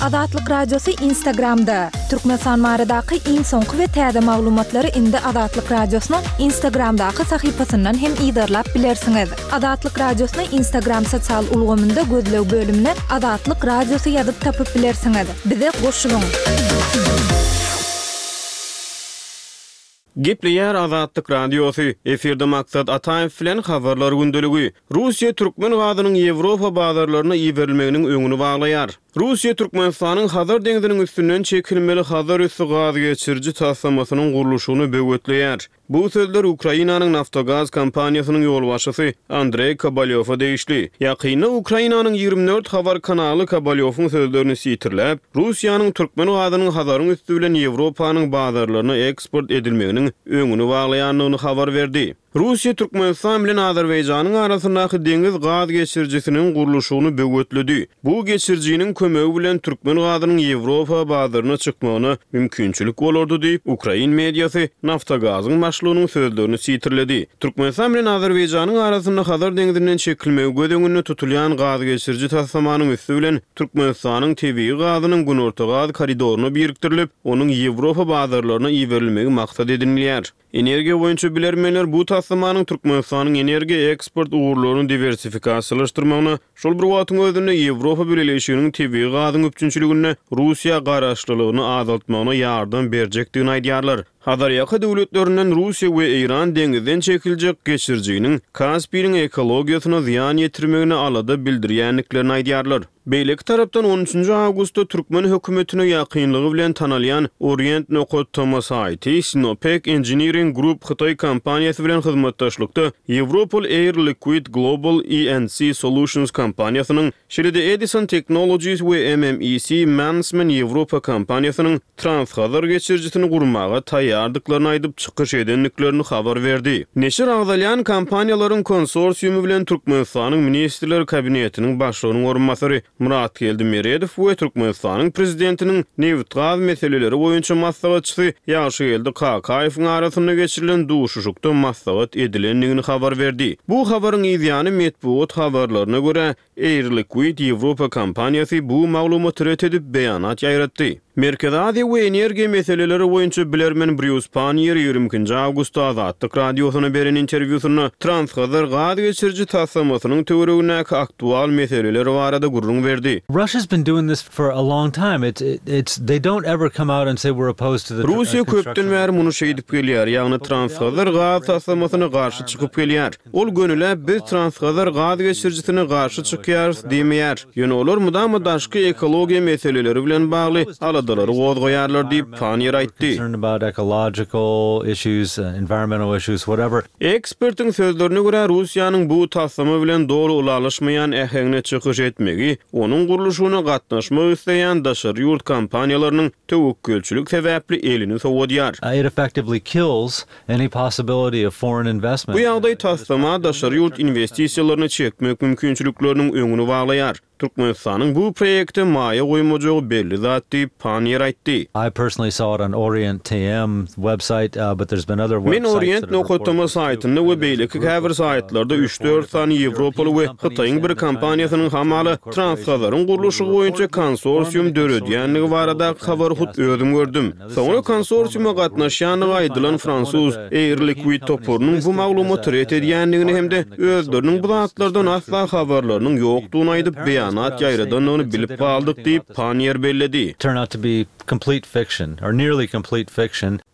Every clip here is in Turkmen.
Azatlyk Radiosy Instagramda! Türkmenistan baradaky iň soňky we täze maglumatlary indi Azatlyk Radiosynyň Instagramdaky sahypasyndan hem yzarlap bilersiňiz. Azatlyk Radiosyny Instagram sosial ulgamynda gözleg bölümine Azatlyk Radiosy ýazyp tapyp bilersiňiz. Bize goşulyň! Gepleýär Azatlyk Radiosy, efirde Maksat Ataýew bilen Habarlar gündeligi. Russiýa türkmen gazynyň Ýewropa bazarlaryna iberilmeginiň öňüni baglaýar. Russiýa Türkmenistanyň Hazar deňziniň üstünden çekilmeli Hazarüsti gaz geçiriji taslamasynyň gurluşygyny böwetleýär. Bu sözler Ukrainanyň Naftogaz kompaniýasynyň ýolbaşçysy Andreý Kobalýowa degişli. Ýakynda Ukrainanyň 24 habar kanaly Kobalýowyň sözlerini sitirläp, Russiýanyň türkmen gazynyň Hazaryň üsti bilen Ýewropanyň bazarlaryna eksport edilmeginiň öňüni baglaýandygyny habar berdi. Russiýa Türkmenistan bilen Azerbaýjanyň arasyndaky deňiz gaz geçirijisiniň gurluşygyny böwetledi. Bu geçirijiniň kömegi bilen türkmen gazynyň Ýewropa bazaryna çykmagyna mümkinçilik bolardy diýip, ukrain mediasy Naftogazyň başlygynyň sözlerini sitirledi. Türkmenistan bilen Azerbaýjanyň arasynda Hazar deňzinden çekilmegi göz öňünde tutulýan gazgeçiriji taslamanyň üsti bilen Türkmenistanyň tebigy gazynyň Günorta gaz koridoryna birikdirilip, onuň Ýewropa bazarlaryna iberilmegi maksat edinilýär. Energiýa boýunça bilermenler bu taslamanyň Türkmenistanyň energiýa eksport ugurlaryny diwersifikasiýalaşdyrmagyna, şol bir wagtyň özünde Ýewropa Bileleşiginiň tebigy gazyň üpjünçiliginde Russiýa garaşlylygyny azaltmagyna ýardam berjekdigini aýdýarlar. Hazarýaka döwletlerinden Russiýa we Eýran deňizden çekiljek geçirijiniň Kaspiniň ekologiýasyna zyýan ýetirmegine alada bildirýändiklerini aýdýarlar. Beýleki tarapdan, on üçünji awgustda türkmen hökümetine ýakynlygy bilen tanalýan Orient nokat tm saýty Sinopec Engineering Group hytaý kompaniýasy bilen hyzmatdaşlykda ýewropaly Air Liquide Global E&C Solutions kompaniýasynyň, şeýle-de Edison Technologies we MMEC Mannesmann Ýewropa kompaniýasynyň Transhazar geçirijisini gurmaga taýýardyklaryny aýdyp çykyş edendiklerini habar berdi. Neşir agzalýan kompaniýalaryň konsorsiumy bilen Türkmenistanyň Ministrler Kabinetiniň Başlygynyň orunbasary Myratgeldi Meredow we Türkmenistanyň Prezidentiniň nebitgaz meseleleri boýunça maslahatçysy Ýagşygeldi Kakaýewiň arasynda geçirilen duşuşykda maslahat edilendigini habar berdi. Bu habaryň yzýany metbugat habarlaryna görä, Air Liquide Ýewropa kompaniýasy bu maglumaty ret edip, beýanat ýaýratdy. Merkezi Aziýa we energiýa meseleleri boýunça bilermen Brýus Panniýer 22-nji awgustda Azatlyk Radiosyna beren interwýusynda Transhazar gaz geçiriji taslamasynyň töweregindäki aktual meseleler barada gürrüň berdi. Russia's been doing this for a long time. It's it's they don't ever come out and say we're opposed to the Russiýa köpden bäri muny şeýdip gelýär, ýagny Transhazar gaz taslamasyna garşy çykyp gelýär. Ol gönüläp biz Transhazar gaz geçirijisine garşy çykýarys diýmeýär. Ýöne olar mydama daşky ekologiýa meseleleri bilen bagly aladalary gozgaýarlar diýip, Panniýer aýtdy. Ekspertiň sözlerine görä, Russiýanyň bu taslama bilen doly ylalaşmaýan äheňde çykyş etmegi onuň gurluşygyna gatnaşmak isleýän daşary ýurt kompaniýalarynyň töwekgelçilik sebäpli elini sowadýar. It effectively kills Any possibility of foreign investment. Bu ýagdaý taslama daşary ýurt inwestisiýalaryny çekmek mümkinçilikleriniň öňüni baglaýar. Türkmenistanyň bu proýekte maýa goýmajagy belli zat diýip, Panniýer aýtdy. I personally saw it on Orient TM website, but there's been other Men websites that Orient have nokat reported tm this too. saýtynda we beýleki käbir saýtlarda üç-dört sany ýewropaly we Hytaýyň bir kompaniýasynyň hamala Transhazaryň gurluşygy boýunça konsorsium döredýändigi baradaky habary hut özüm gördüm. Soňra konsorsiuma gatnaşýandygy aýdylan fransuz Air Liquide toparynyň bu maglumaty ret edýändigini hem-de özleriniň bu zatlardan asla habarlarynyň ýokdugyny aýdyp, beýanat ýaýradandygyny bilip galdyk diýip, Panniýer belledi.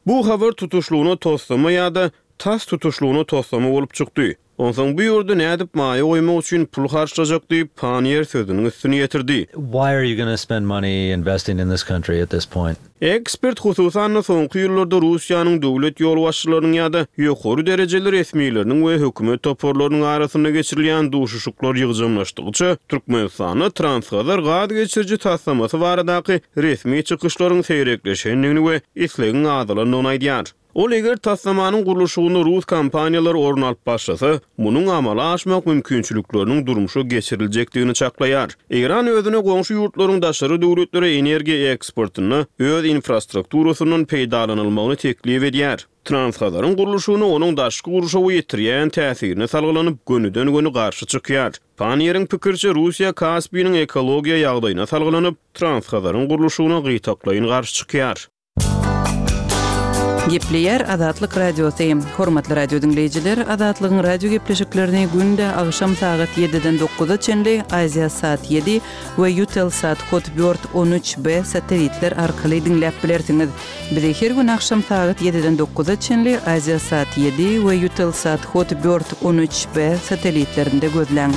Bu habar tutuşlygyna toslama ýa-da tas tutuşlygyna toslama bolup çykdy. Onsoň bu ýurda nädip maýa goýmak üçin pul harçlajak diýip, Panniýer sözüniň üstüni ýetirdi. Why are you gonna spend money investing in this country at this point? Ekspert hususan-da soňky ýyllarda Russiýanyň döwlet ýolbaşçylarynyň ýa-da ýokary derejeli resmileriniň we hökümet toparlarynyň arasynda geçirilýän duşuşyklar ýygjamlaşdygyça, Türkmenistanda Transhazar gaz geçiriji taslamasy baradaky resmi çykyşlaryň seýrekleşendigini we islegiň azalandygyny aýdýar. Ol eger taslamanyň gurluşygynda rus kompaniýalary orun alyp başlasa, munuň amala aşmak mümkinçilikleriniň durmuşa geçiriljekdigini çaklaýar. Eýran özüne goňşy ýurtlaryň daşary döwletlere energiýa eksportynda öz infrastrukturasyndan peýdalanylmagyny teklip edýär. Transhazaryň gurluşygyna onuň daşky gurşawa ýetirýän täsirine salgylanyp, gönüden-göni garşy çykýar. Panniýeriň pikiriçe, Russiýa Kaspiniň ekologiýa ýagdaýyna salgylanyp, Transhazaryň gurluşygyna gytaklaýyn garşy çykýar. Gepleýär Azatlyk Radiosy. Hormatly radio diňleýjiler, Azatlygyň radio gepleşiklerini günde agşam sagat ýediden dokuza çenli Aziasat ýedi we Eutelsat Hotbird 13 B satelitler arkaly diňläp bilersiňiz. Bizi her gün agşam sagat ýediden dokuza çenli Aziasat ýedi we Eutelsat Hotbird 13 B satelitlerinde gözläň.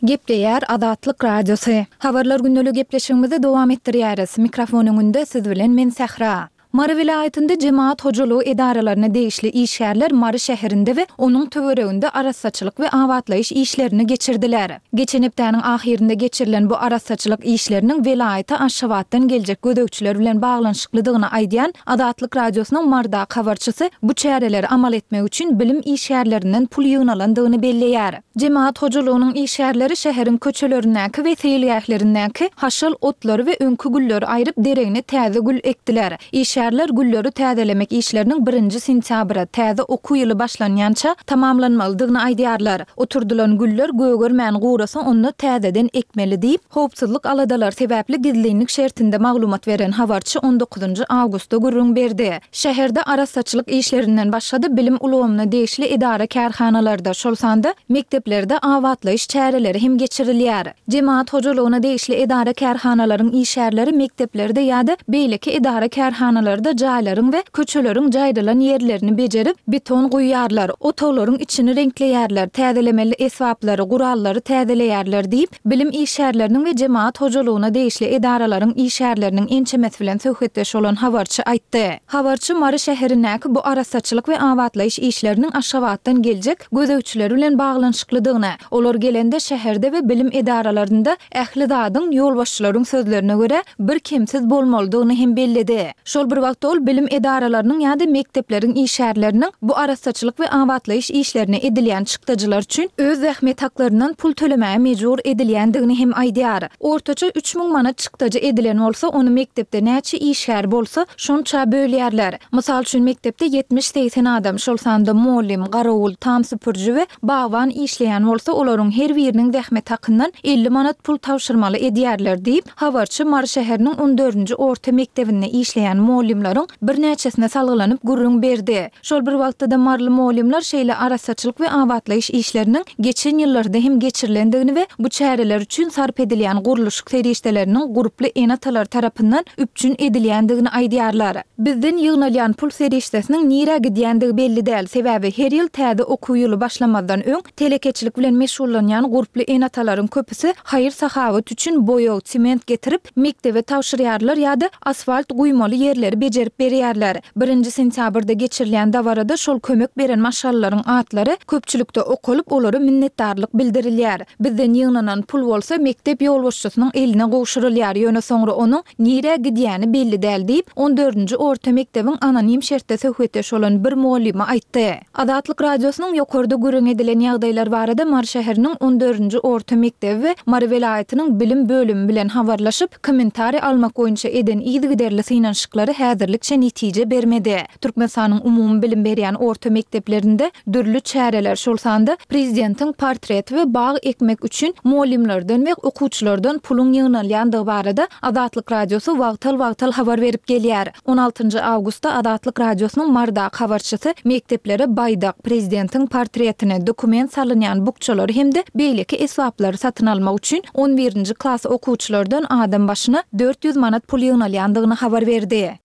Gepleýär Azatlyk Radiosy. Habarlar gündeliği gepleşigimizi dowam etdirýäris. Mikrofon öňünde siz bilen men Sähra. Mary welaýatynda jemagat hojalygy edaralaryna degişli işgärler Mary şäherinde we onuň töwereginde arassaçylyk we abatlaýyş işlerini geçirdiler. Geçen hepdäniň ahyrynda geçirilen bu arassaçylyk işleriniň welaýata Aşgabatdan geljek gözegçiler bilen baglanyşyklydygyny aýdýan Azatlyk Radiosynyň Marydaky habarçysy bu çäreleri amal etmek üçin bilim işgärlerinden pul ýygnalandygyny belleýär. Jemagat hojalygynyň işgärleri şäheriň köçelerindäki we seýilgählerindäki haşal otlary we öňki gülleri aýryp, deregine täze gül ekdiler. Işgärler gülleri täzelemek işleriniň birinji sentýabra, täze okuw ýyly başlanýança tamamlanmalydygyny aýdýarlar. Oturdylan güller gögermän gurasa onda täzeden ekmeli diýip, howpsuzlyk aladalary sebäpli gizlinlik şertinde maglumat beren habarçy on dokuzynjy awgustda gürrüň berdi. Şäherde arassaçylyk işlerinden başga-da bilim ulgamyna degişli edara-kärhanalarda, şol sanda mekdeplerde abatlaýyş çäreleri hem geçirilýär. Jemagat hojalygyna degişli edara-kärhanalaryň işgärleri mekdeplerde ýa-da beýleki edara-kärhanalarda jaýlaryň we köçeleriň jaýrylan ýerlerini bejerip, beton guýýarlar, otaglaryň içini reňkleýärler, täzelemeli esbaplary, gurallary täzeleýärler diýip, Bilim işgärleriniň we jemagat hojalygyna degişli edaralaryň işgärleriniň ençemesi bilen söhbetdeş bolan habarçy aýtdy. Habarçy Mary şäherindäki bu arassaçylyk we abatlaýyş işleriniň Aşgabatdan geljek gözegçiler bilen baglanyşyklydygyny, olar gelende şäherde we bilim edaralarynda ähli zadyň, ýolbaşçylaryň sözlerine görä, birkemsiz bolmalydygyny hem belledi. Şol bir wagtda ol bilim edaralarynyň ýa-da mekdepleriň işgärleriniň bu arassaçylyk we abatlaýyş işlerine edilýän çykdajylar üçin öz zähmet haklaryndan pul tölemäge mejbur edilýändigini hem aýdýar. Ortaça 3000 manat çykdajy edilen bolsa, ony mekdepde näçe işgär bolsa, şonça bölýärler. Mysal üçin, mekdepde ýetmiş-segsen adam, şol sanda mugallym, garawul, tam süpüriji we bagban işleýän bolsa, olaryň her biriniň zähmet hakyndan 50 manat pul tabşyrmaly edýärler diýip, Habarçy Mary şäheriniň on dördünji orta mekdebinde işleýän mugallymlaryň birnäçesine salgylanyp gürrüň berdi. Şol bir wagtda-da maryly mugallymlar şeýle arassaçylyk we abatlaýyş işleriniň geçen ýyllarda hem geçirilendigini we bu çäreler üçin sarp edilýän gurluşyk serişdeleriniň gurply ene-atalar tarapyndan üpjün edilýändigini aýdýarlar. Bizden ýygnalýan pul serişdesiniň nirä gidýändigi belli däl, sebäbi her ýyl täze okuw ýyly başlamazdan öň Telekeçilik bilen meşgullanýan gurply ene-atalaryň köpüsi haýyr-sahawat üçin boýag, sement getirip, mekdebe tabşyrýarlar ýa-da asfalt guýmaly ýerleri bejerip berýärler. Birinji sentýabrda geçirilýän dabarada şol kömek beren maşgalalaryň atlary köpçülikde okalyp, olara minnetdarlyk bildirilýär. Bizden ýygnanan pul bolsa mekdep ýolbaşçysynyň eline gowşurylýar, ýöne soňra onuň nirä gidýäni belli däl diýip, on dördünji orta mekdebiň anonim şertde söhbetdeş bolan bir mugallymy aýtdy. Azatlyk Radiosynyň ýokarda gürrüň edilen ýagdaýlar barada Mary şäheriniň on dördünji orta mekdebi we Mary welaýatynyň bilim bölümi bilen habarlaşyp, kommentariý almak boýunça eden yzygiderli synanyşyklary häzirlikçe netije bermedi. Türkmenistanyň umumybilim berýän orta mekdeplerinde dürli çäreler, şol sanda prezidentiň portreti we bag ekmek üçin mugallymlardan we okuwçylardan puluň ýygnalýandygy barada Azatlyk Radiosy wagtal-wagtal habar berip gelýär. On altynjy awgustda Azatlyk Radiosynyň Marydaky habarçysy mekdeplere baýdak, prezidentiň portretini, dokument salynýan bukjalary hem-de beýleki esbaplary satyn almak üçin on birinji klas okuwçylardan adam başyna 400 manat pul ýygnalýandygyny habar berdi.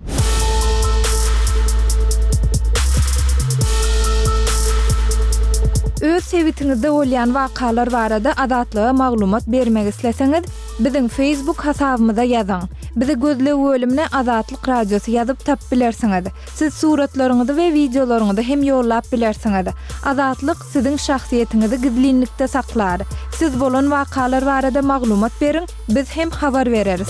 Öz sebitiňizde bolýan wakalar barada Azatlyga maglumat bermek isleseňiz, Biziň Facebook hasabymyza ýazyň. Bizi gözleg bölümine Azatlyk Radiosy ýazyp tapyp bilersiňiz. Siz suratlaryňyzy we wideolaryňyzy hem ýollap bilersiňiz. Azatlyk siziň şahsyýetiňizi gizlinlikde saklar. Siz bolan wakalar barada maglumat beriň, biz hem habar bereris.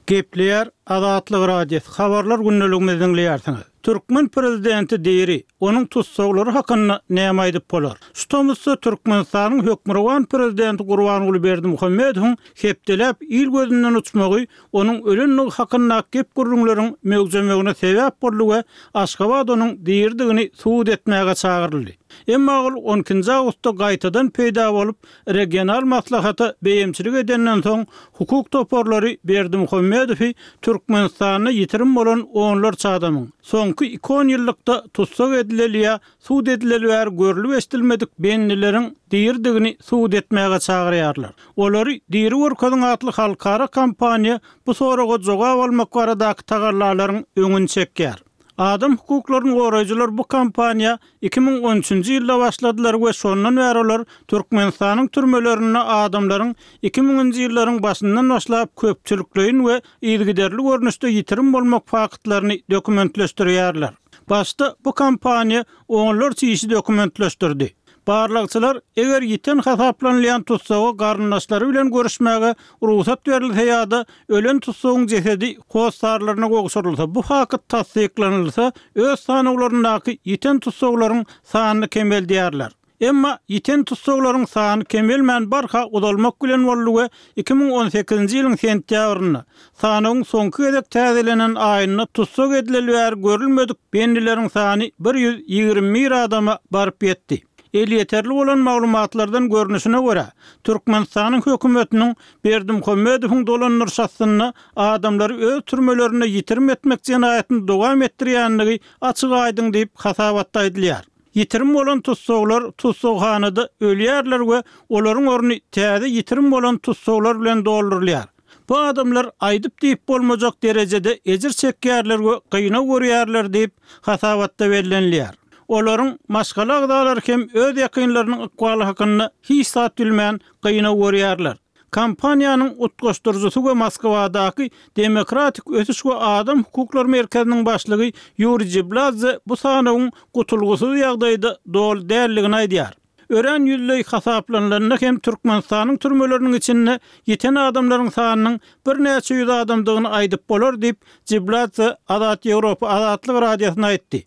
Gepleýär Azatlyk Radiosy, Habarlar gündeligimizi diňleýärsiňiz. Türkmen prezidenti diri, onuň tussaglary hakynda näme aýdyp bolar? Şu tomusda Türkmenistanyň hökmürowan prezidenti Gurbanguly Berdimuhamedowyň hepdeläp il gözünden uçmagy onuň ölendigi hakyndaky gep-gürrüňleriň möwjemegine sebäp boldy we Aşgabat onuň diridigini subut etmäge çagyryldy. Emma ol on ikinji awgustda gaýtadan peýda bolup, regional maslahata beýemçilik edenden soň, hukuk toparlary Berdimuhamedowy Türkmenistanda ýitirim bolan onlarça adamyň, soňky iki onýyllykda tussag edileli ýa sud edileli bäri görlüp-eşidilmedik bendileriň diridigini subut etmäge çagyrýarlar. Olary diri görkeziň atly halkara kampaniýa bu soraga jogap almak baradaky tagallalaryň öňüni çekýär. Adam hukuklaryny goraýjylar bu kampaniýa 2013-nji ýylda başladylar we şondan bäri olar Türkmenistanyň türmelerinde adamlaryň iki müňünji ýyllaryň başyndan başlap köpçülikleýin we yzygiderli görnüşde ýitirim bolmak faktlaryny dokumentleşdirýärler. Başda bu kampaniýa onlarça işi dokumentleşdirdi. Barlagçylar, eger ýiten hasaplanylýan tussaga garyndaşlary bilen görüşmäge rugsat berilse ýa-da ölen tussagyň jesedi hossarlaryna gowşurylsa, bu fakt tassyklanylsa, öz sanawlaryndaky ýiten tussaglaryň sanyny kemeldýärler. Emma ýiten tussaglaryň sany kemelmän barha uzalmak bilen boldy we 2018-nji ýylyň sentýabrynda, sanawyň soňky gezek täzelenen aýynda tussag edileli bäri görülmedik bendileriň sany 121 adama baryp ýetdi. Elýeterli bolan maglumatlardan görnüşine görä, Türkmenistanyň hökümetiniň Berdimuhamedowyň dolandyryşy astynda adamlary öz türmelerinde ýitirim etmek jenaýatyny dowam etdirýändigi açyk-aýdyň diýip, hasabatda aýdylýar. Ýitirim bolan tussaglar tussaghanada ölýärler we olaryň orny täze ýitirim bolan tussaglar bilen doldurylýar. Bu adamlar aýdyp-diýip bolmajak derejede ejir çekýärler we gynag görýärler diýip, hasabatda bellenilýär. Olaryň maşgala agzalary hem öz ýakynlarynyň ykbaly hakynda hiç zat bilmän gynag görýärler. Kampaniýanyň utgaşdyryjysy we Moskwadaky Demokratik ösüş we adam hukuklary merkeziniň başlygy Ýuriý Jibladze bu sanawyň gutulgysyz ýagdaýda doly däldigini aýdýar. Örän ýüzleý hasaplanylanda hem Türkmenistanyň türmeleriniň içinde ýiten adamlaryň sanynyň birnäçe ýüz adamdygyny aýdyp bolar diýip, Jibladze Azat Ýewropa Azatlyk Radiosyna aýtdy.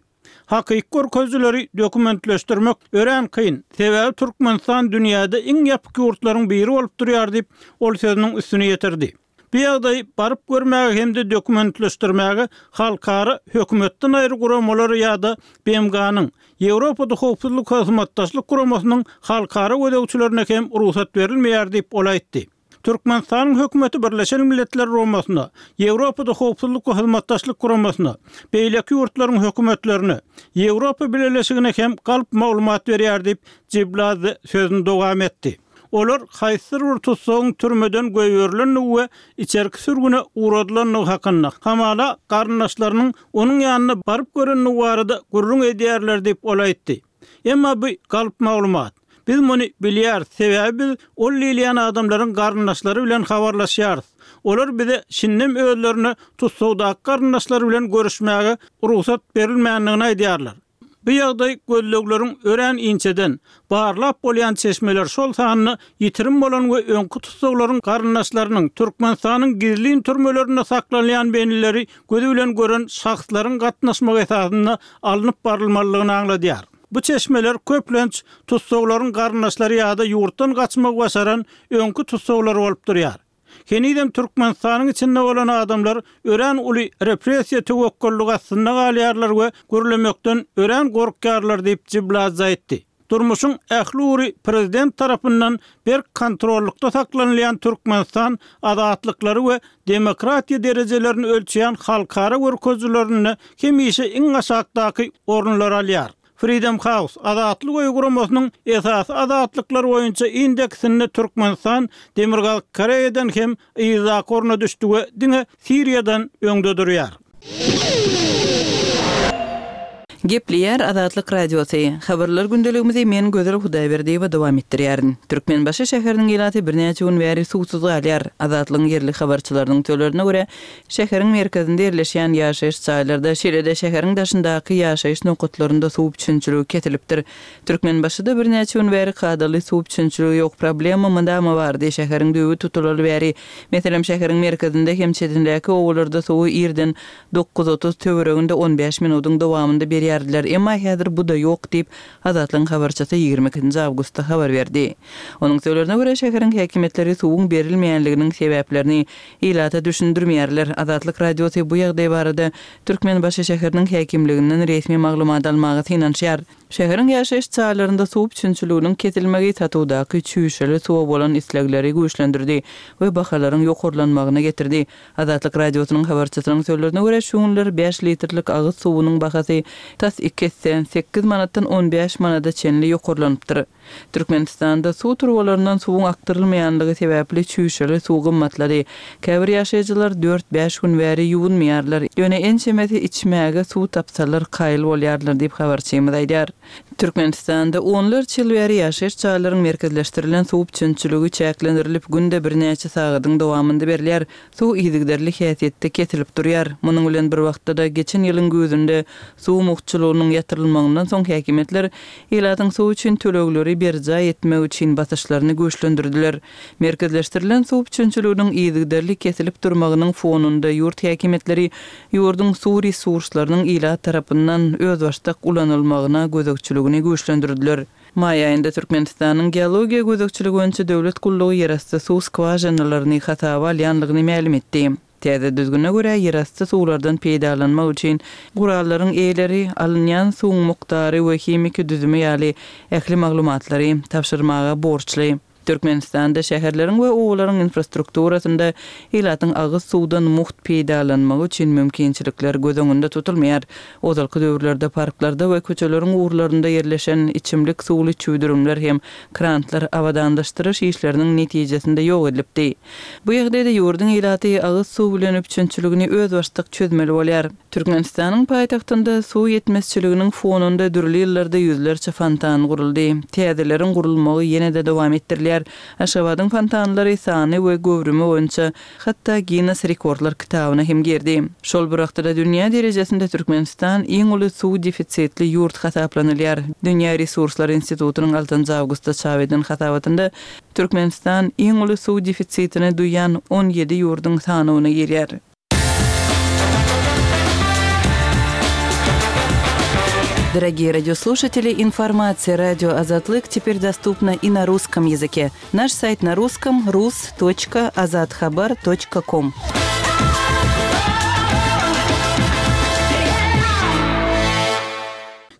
Hakyky görkezijileri dokumentleşdirmek örän kyn, sebäbi Türkmenistan dünýäde iň ýapyk ýurtlaryň biri bolup durýar diýip, ol sözüniň üstüni ýetirdi. Bu ýagdaýy baryp görmäge hem-de dokumentleşdirmäge halkara hökümetden aýry guramalara ýa-da BMG-niň, Ýewropada Howpsuzlyk Hyzmatdaşlyk Guramasynyň halkara gözegçilerine hem rugsat berilmeýär diýip, ol aýtdy. Türkmenistanyň hökümeti Birleşen Milletler Guramasyna, Ýewropada Howpsuzlyk we Hyzmatdaşlyk Guramasyna, beýleki ýurtlaryň hökümetlerine, Ýewropa Bileleşigine hem galp maglumat berýär diýip, Jibladze sözüni dowam etdi. Olar haýsydyr bir tussagyň türmeden goýberilendigi we içerki sürgüne ugradylandygy hakynda, hamala garyndaşlarynyň onuň ýanyna baryp görendigi barada gürrüň edýärler diýip, ol aýtdy. Emma bu galp maglumat. Biz muny bilýäris, sebäbi biz ol diýilýän adamlaryň garyndaşlary bilen habarlaşýarys. Olar bize şindem özlerine tussagdaky garyndaşlary bilen görüşmäge rugsat berilmändigini aýdýarlar. Bu ýagdaý gözlegleriň örän inçeden, barlap bolýan çeşmeler, şol sanda ýitirim bolan we öňki tussaglaryň garyndaşlarynyň, Türkmenistanyň gizlin türmelerinde saklanylýan bendileri gözi bilen gören şahslaryň gatnaşmagy esasynda alnyp barylmalydygyny aňladýar. Bu çeşmeler köplenç tussaglaryň garyndaşlary ýa-da ýurtdan gaçmagy başaran öňki tussaglar bolup durýar. Henizem Türkmenistanyň içinde bolan adamlar örän uly repressiýa töwekgellik astynda galýarlar we gürlemekden örän gorkýarlar diýip, Jibladze aýtdy. Durmuşyň ähli ugry prezident tarapyndan berk kontrollykda saklanylýan Türkmenistan azatlyklary we demokratiýa derejelerini ölçeýän halkara görkezijilerinde hemişe iň aşakdaky orunlary alýar. Freedom House, Azatlyk öýi guramasynyň esasy azatlyklar boýunça indeksinde Türkmenistan Demirgazyk Koreýadan hem yzdaky orna düşdi we diňe Siriýadan öňde durýar. Gepleýär Azatlyk Radiosy. Habarlar gündeligimizi men Gözel Hudaýberdiýewa dowam etdirýärin. Türkmenbaşy şäheriniň ilaty birnäçe gün bäri suwsuz galýar. Azatlygyň ýerli habarçylarynyň sözlerine görä, şäheriň merkezinde ýerleşýän ýaşaýyş jaýlarda, şeýle-de şäheriň daşyndaky ýaşaýyş nokatlarynda suw üpjünçiligi kesilipdir. Türkmenbaşyda birnäçe gün bäri kadaly suw üpjünçiligi ýok. Problema mydama bardy. Şäheriň düýbi tutulaly bäri. Meselem, şäheriň merkezinde hem çetindäki obalarda suwy irden 9:30 töwereginde on bäş minudyň dowamynda berýärdiler, emma häzir bu-da ýok diýip, Azatlygyň habarçysy ýigrimi ikinji awgustda habar berdi. Onuň sözlerine görä, şäheriň häkimiýetleri suwuň berilmeýänliginiň sebäplerini ilata düşündirmeýärler. Azatlyk Radiosy bu ýagdaý barada Türkmenbaşy şäheriniň häkimliginden resmi maglumat almaga synanyşýar. Şäheriň ýaşaýyş jaýlarynda suw üpjünçiliginiň kesilmegi satuwdaky çüýşeli suwa bolan islegleri güýçlendirdi we bahalaryň ýokarlanmagyna getirdi. Azatlyk Radiosynyň habarçysynyň sözlerine görä, şu günler bäş litrlik agyz suwunyň bahasy tas iki esse, sekiz manatdan on bäş manada çenli ýokarlanypdyr. Türkmenistanda suw turbalaryndan suwuň akdyrylmaýanlygy sebäpli çüýşeli suw gymmatlady. Käbir ýaşaýjylar dört-bäş gün bäri ýuwunmaýarlar, ýöne ençemesi içmäge suw tapsalar kaýyl bolýarlar diýip, habarçymyz aýdýar. Türkmenistanda onlarça ýyl bäri ýaşaýyş jaýlaryň merkezleşdirilen suw üpjünçiligi çäklendirilip, günde birnäçe sagadyň dowamynda berilýär. Suw yzygiderli häsiýetde kesilip durýar. Munuň bilen bir wagtda-da, geçen ýylyň güýzünde suw mugtçulygynyň ýatyrylmagyndan soň häkimiýetler ilatyň suw üçin tölegleri berjaý etmegi üçin basyşlaryny güýçlendirdiler. Merkezleşdirilen suw üpjünçiliginiň yzygiderli kesilip durmagynyň fonunda ýurt häkimiýetleri ýurduň suw resurslarynyň ilat tarapyndan özbaşdak ulanylmagyna gözegçiligini güýçlendirdiler. Maý aýynda Türkmenistanyň Geologiýa gözegçiligi boýunça döwlet gullugy ýerasty suw skwažinalaryny hasaba alýandygyny mälim etdi. Täze düzgüne görä, ýerasty suwlardan peýdalanmak üçin gurallaryň eýeleri, alynýan suwuň mukdary we himiki düzümi ýaly ähli maglumatlary tabşyrmaga borçly. Türkmenistanda şäherleriň we obalaryň infrastrukturasynda ilatyň agyz suwdan mugt peýdalanmagy üçin mümkinçilikler göz öňünde tutulmaýar. Ozalky döwürlerde parklarda we köçeleriň ugurlarynda ýerleşen içimlik suwly çüwdürimler hem krantlar abadanlaşdyryş işleriniň netijesinde ýok edilipdi. Bu ýagdaýda ýurduň ilaty agyz suw bilen üpjünçiligini özbaşdak çözmeli bolýar. Türkmenistanyň paýtagtynda suw ýetmezçiliginiň fonunda dürli ýyllarda ýüzlerçe fontan guruldy. Täzeleriň gurulmagy ýene-de dowam etdirilýär. Aşgabadyň fontanlary sany we göwrümi boýunça hatda Ginnes rekordlar kitabyna hem girdi. Şol bir wagtda-da dünýä derejesinde Türkmenistan iň uly suw defisitli ýurt hasaplanylýar. Dünýä resurslary institutynyň altynjy awgustda çap eden hasabatynda Türkmenistan iň uly suw defisitini duýýan on ýedi ýurduň sanawyna girýär. Дорогие радиослушатели, информация радио Азатлык теперь доступна и на русском языке. Наш сайт на русском rus.azathabar.com.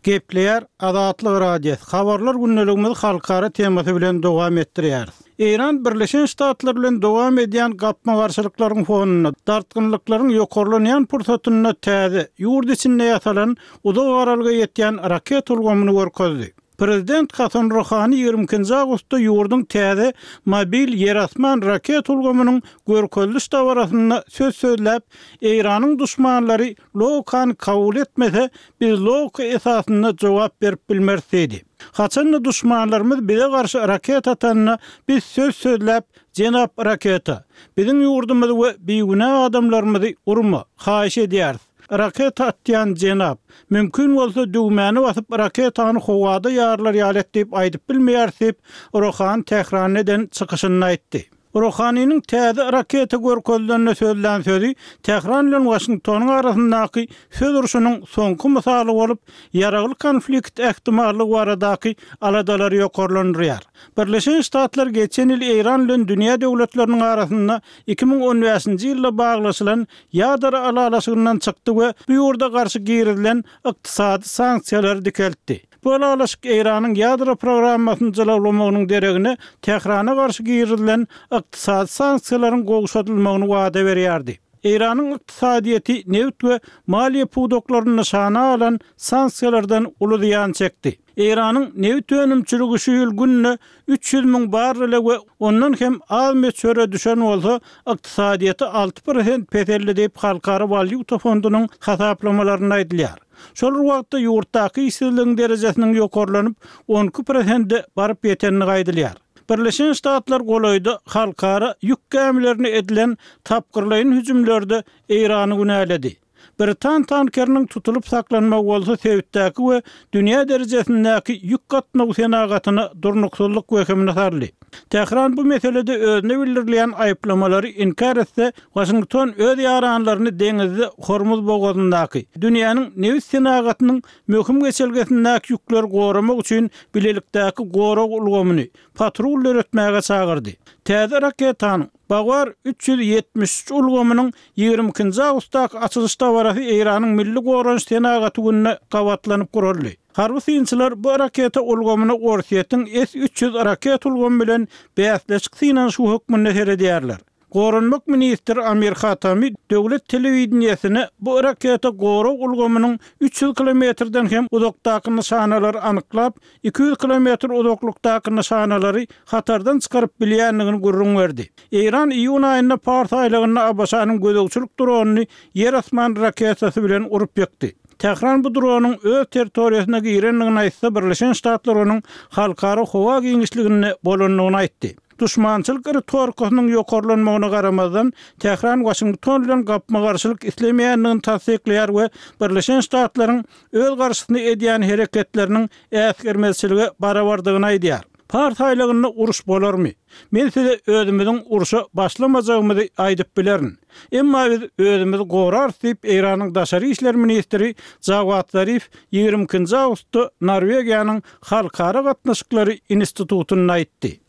Gepleýär Azatlyk Radiosy, Habarlar gündeligimizi halkara temasy bilen dowam etdirýäris. Eýran Birleşen Ştatlar bilen dowam edýän gapma-garşylyklaryň fonunda, dartgynlyklaryň ýokarlanýan pursatynda täze, ýurt içinde ýasalan, uzak aralyga ýetýän raketa ulgamyny görkezdi. Prezident Hasan Ruhani ýigrimi ikinji awgustda ýurduň täze mobil ýer-asman raketa ulgamynyň görkeziliş dabarasynda söz sözläp, Eýranyň duşmanlary logikany kabul etmese, biz logika esasynda jogap berip bilmeris diýdi. Haçan-da duşmanlarymyz bize garşy raketa atanda, biz söz sözläp, Jenap raketa, biziň ýurdumyzy we bigünä adamlarymyzy urma, haýyş edýäris. Raketa atýan jenap, mümkin bolsa düwmäni basyp raketany howada ýarylar ýaly et diýip aýdyp bilmeýäris diýip, Rohani Tähranda eden çykyşynda aýtdy. Rohaniniň täze raketa görkezilende sözlän sözi Tähran bilen Waşingtonyň arasyndaky söz urşunyň soňky mysaly bolup, ýaragly konflikt ähtimallygy baradaky aladalary ýokarlandyrýar. Birleşen Ştatlar geçen ýyl Eýran bilen dünýä döwletleriniň arasynda 2015-nji ýylda baglaşylan ýadro ylalaşygyndan çykdy we bu ýurda garşy girizilen ykdysady sanksiýalary dikeltdi. Bu ylalaşyk Eýranyň ýadro programmasyny jylawlamagynyň deregine Tährana garşy girizilen ykdysady sanksiýalaryň gowşadylmagyny wada berýärdi. Eýranyň ykdysadyýeti nebit we maliýe pudaklaryny nyşana alan sanksiýalardan uly zyýan çekdi. Eýranyň nebit önümçiligi şu ýyl günde 300 müň barrele we ondan hem az möçbere düşen bolsa, ykdysadyýeti 6 prosent peseldi diýip, Halkara walýuta fondunyň hasaplamalarynda aýdylýar. Şol bir wagtda, ýurtdaky işsizligiň derejesiniň ýokarlanyp, 12 prosente baryp ýetendigi aýdylýar. Birleşen Ştatlar golaýda halkara ýük gämilerine edilen tapgyrlaýyn hüjümlerde Eýrany günäledi. Britan tankeriniň tutulyp saklanmagy bolsa sebitdäki we dünýä derejesindäki ýük gatnawy senagatyna durnuksyzlyk wehimini saldy. Tähran bu meselede özüne bildirilýän aýyplamalary inkär etse, Waşington öz ýaranlaryny deňizde Hormuz bogazyndaky, dünýäniň nebit senagatynyň möhüm geçelgesindäki ýükleri goramak üçin bilelikdäki gorag ulgamyny, patrul döretmäge çagyrdy. Täze raketanyň, Bavar 373 ulgamynyň 22-nji awgustdaky açylyş dabarasy Eýranyň Milli goranyş senagaty gününe gabatlanyp guraldy. Harby synçylar bu raketa ulgamyna Orsýetiň S 300 raketa ulgamy bilen bäsleşik synanyşygy hökmünde seredýärler. Goranmak ministri Amir Hatami döwlet telewideniýesine bu raketa gorag ulgamynyň 300 kilometrden hem uzakdaky nyşanalary anyklap, 200 kilometr uzaklykdaky nyşanalary hatardan çykaryp bilýändigini gürrüň berdi. Eýran iýun aýynda Pars aýlagynda ABŞ-nyň gözegçilik dronyny ýer-asman raketasy bilen urup ýykdy. Tähran bu dronyň öz territoriýasyna girendigini aýtsa, Birleşen Ştatlar onuň halkara howa giňişliginde bolandygyny aýtdy. Duşmançylyk ritorikasynyň ýokarlanmagyna garamazdan, Tähran Waşington bilen gapma-garşylyk islemeýändigini tassyklaýar we Birleşen Ştatlaryň öz garşysyna edýän hereketleriniň äsgermezçilige barabardygyny aýdýar. Pars aýlagynda uruş bolarmy? Men size özümiziň urşa başlamajagymyzy aýdyp bilerin. Emma biz özümizi gorarys diýip, Eýranyň daşary işler ministri Jawad Zarif 22-nji awgustda Norwegiýanyň Halkara gatnaşyklary institutynda aýtdy.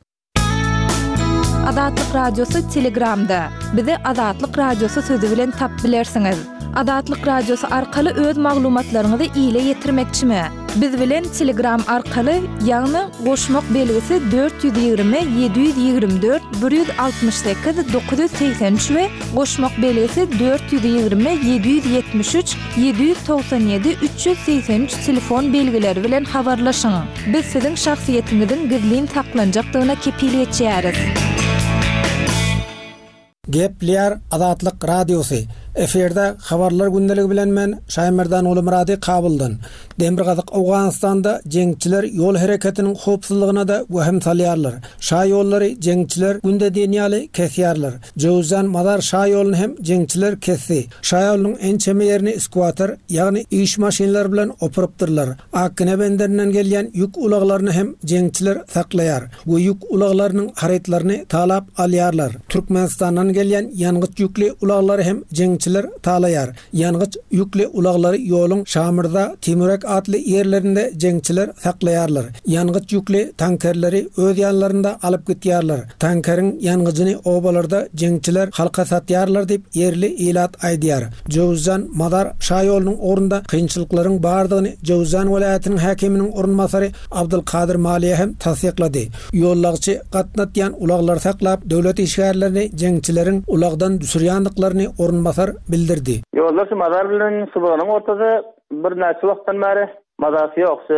Azatlyk Radiosy Telegramda. Bizi Azatlyk Radiosy sözi bilen tap bilersiňiz. Azatlyk Radiosy arkaly öz maglumatlaryňyzy ile ýetirmekçimi? Biz bilen Telegram arkaly, ýagny goşmak belgisi 420 724 168 983 we goşmak belgisi 420 773 797 383 telefon belgileri bilen habarlaşyň. Biz siziň şahsyýetiňiziň gizlin saklanjakdygyna kepil geçýäris. Gepleýär Azatlyk Radiosy, Efirde Habarlar gündeligi bilen men, Şaýmerdan Gulumyrady Kabuldan. Demirgazyk Owganystanda jeňçiler ýol hereketiniň howpsuzlygyna-da wehim salýarlar. Şa ýollary jeňçiler günde diýen ýaly kesýärler. Jöwüzjan Mazar şa ýoluny hem jeňçiler kesdi. Şa ýolunyň ençeme ýerini skwater, ýagny iş maşynlary bilen opurypdyrlar. Akgine benderinden gelýän ýük ulaglaryny hem jeňçiler saklaýar we ýük ulaglarynyň harytlaryny talap alýarlar. Türkmenistandan gelýän ýangyç ýükli ulaglary hem jeňçiler talaýar. Ýangyç ýükli ulaglary ýoluň Şamyrza, Timurek atly ýerlerinde jeňçiler saklaýarlar. Ýangyç ýükli tankerleri öz ýanlarynda alyp gitýärler. Tankeriň ýangyjyny obalarda jeňçiler halka satýarlar diýip, ýerli ilat aýdýar. Jöwüzjan, Mazar şaýolunyň ugrunda kynçylyklaryň bardygyny Jöwüzjan welaýatynyň häkiminiň orunbasary Abdulkadyr Maliýe hem tassyklady. Ýollagçy gatnatýan ulaglary saklap, döwlet işgärlerini jeňçileriň ulagdan düşürýändiklaryny orunbasar bildirdi. Ýollar şu Mazar bilen Subanyň ortasy birnäçe wagtdan bäri mazasy ýok. Şu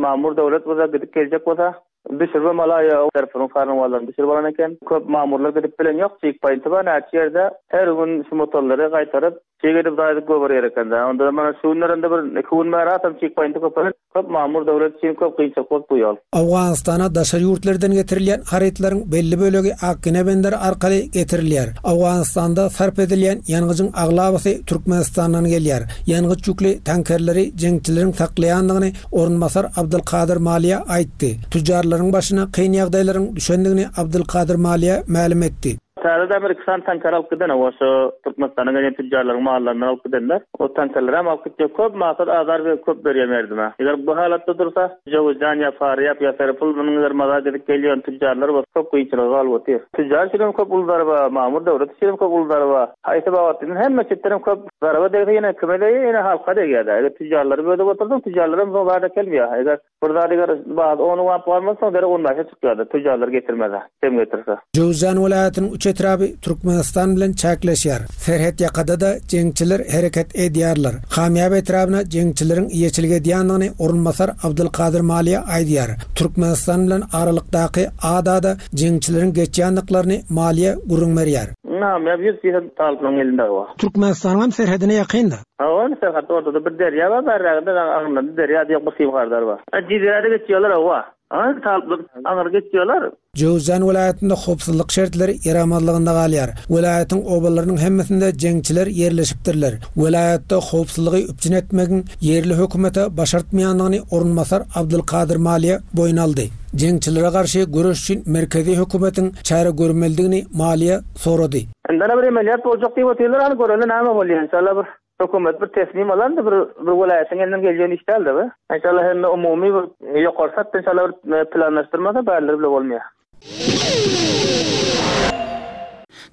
mamur döwlet bolsa gidip geljek bolsa Düşürme malaýa tarapynyň karnawalaryny düşürip alan eken. Köp mamurlar gidip bilen ýok. Çig paýnty bar näçe ýerde. Her gün şu motorlary gaýtaryp, çig edip zaýadyp goýberýär ekende. Onda mana şu günlerinde bir iki gün bäri hasam çig paýnty köpelen. Köp mamur döwlet üçin köp kynçylyk bolup bu ýol. Owganystana daşary ýurtlardan getirilýän harytlaryň belli bölegi Akgine benderi arkaly getirilýär. Owganystanda sarp edilýän ýangyjyň aglabasy Türkmenistandan gelýär. Ýangyç ýükli tankerleri jeňçileriň saklaýandygyny Orunbasar Abdylkadyr Maliýa aýtdy. Tüjjarlaryň başyna kyn ýagdaýlaryň düşendigini Abdylkadyr Maliýa mälim etdi. Täze demir iki sany tanker alyp giden oba şo Türkmenistana gelýän tüjjarlaryň mallaryndan alyp gidenler. O tankerlerem alyp gitjek köp maksat azar berip köp berýär merdime. Eger bu halatda dursa Jöwüzjan ýa Farýap ýa Serpul munuň eger maza gidip gelýän tüjjarlar bolsa köp kynçylyga galyp otyr. Tüjjar üçinem köp uly zarba, mamur döwlet üçinem köp uly zarba. Haýsy babatda diýseň hemme çetdenem köp zarba degse ýene kime degýär ýene halka degýär-dä. Eger tüjjarlary bölüp otursaň tüjjarlaram soň zat äkelmeýär. Eger bir zat eger bahasy on bap galmasa soň derek on bäşe çykýar-da tüjjarlar getirmese, kem getirse. Jöwüzjan welaýatynyň üç etraby Türkmenistan bilen çäkleşýär. Serhetýakada-da jeňçiler hereket edýärler. Kamýap etrabyna jeňçileriň eýeçilik edýändigini orunbasar Abdylkadyr Maliýa aýdýar. Türkmenistan bilen aralykdaky adada jeňçileriň geçýändiklaryny Maliýa gürrüň berýär. Namyýap 100% talyplaryň elinde bar. Türkmenistanyň hem serhedine ýakyn-da. Hawa, indi serhet ortada bir derýa bar, bärräginde aňyrynda derýa diýen bir sim-hardar bar. Jizirede geçýärler hawa. Aňry talyplar aňry geçýärler. Jöwüzjan welaýatynda howpsuzlyk şertleri ýaramazlygynda galýar. Welaýatyň obalarynyň hemmesinde jeňçiler ýerleşipdirler. Welaýatda howpsuzlygy üpjün etmegiň ýerli hökümete başartmaýandygyny orunbasar Abdulkadyr Maliýe boýun aldy. Jeňçilere garşy göreş üçin merkezi hökümetiň çäre görmelidigini Maliýe sorady. Indana bir emeliyat boljak diýip otyrlar hany göreli näme bolýar inşallah bir hökümet bir teslim alardy bir bir welaýatyň elinden gelýän iş däldi bu. Inşallah hemme umumy bir ýokary satda inşallah bir planlaşdyrmasa bärleri bile bolmaýar.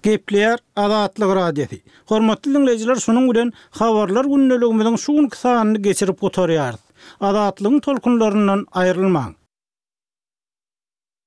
Gepleýär Azatlyk Radiosy. Hormatly diňleýjiler şunuň bilen Habarlar gündeligimiziň şu günki sanyny geçirip gutarýarys. Azatlygyň tolkunlaryndan aýrylmaň.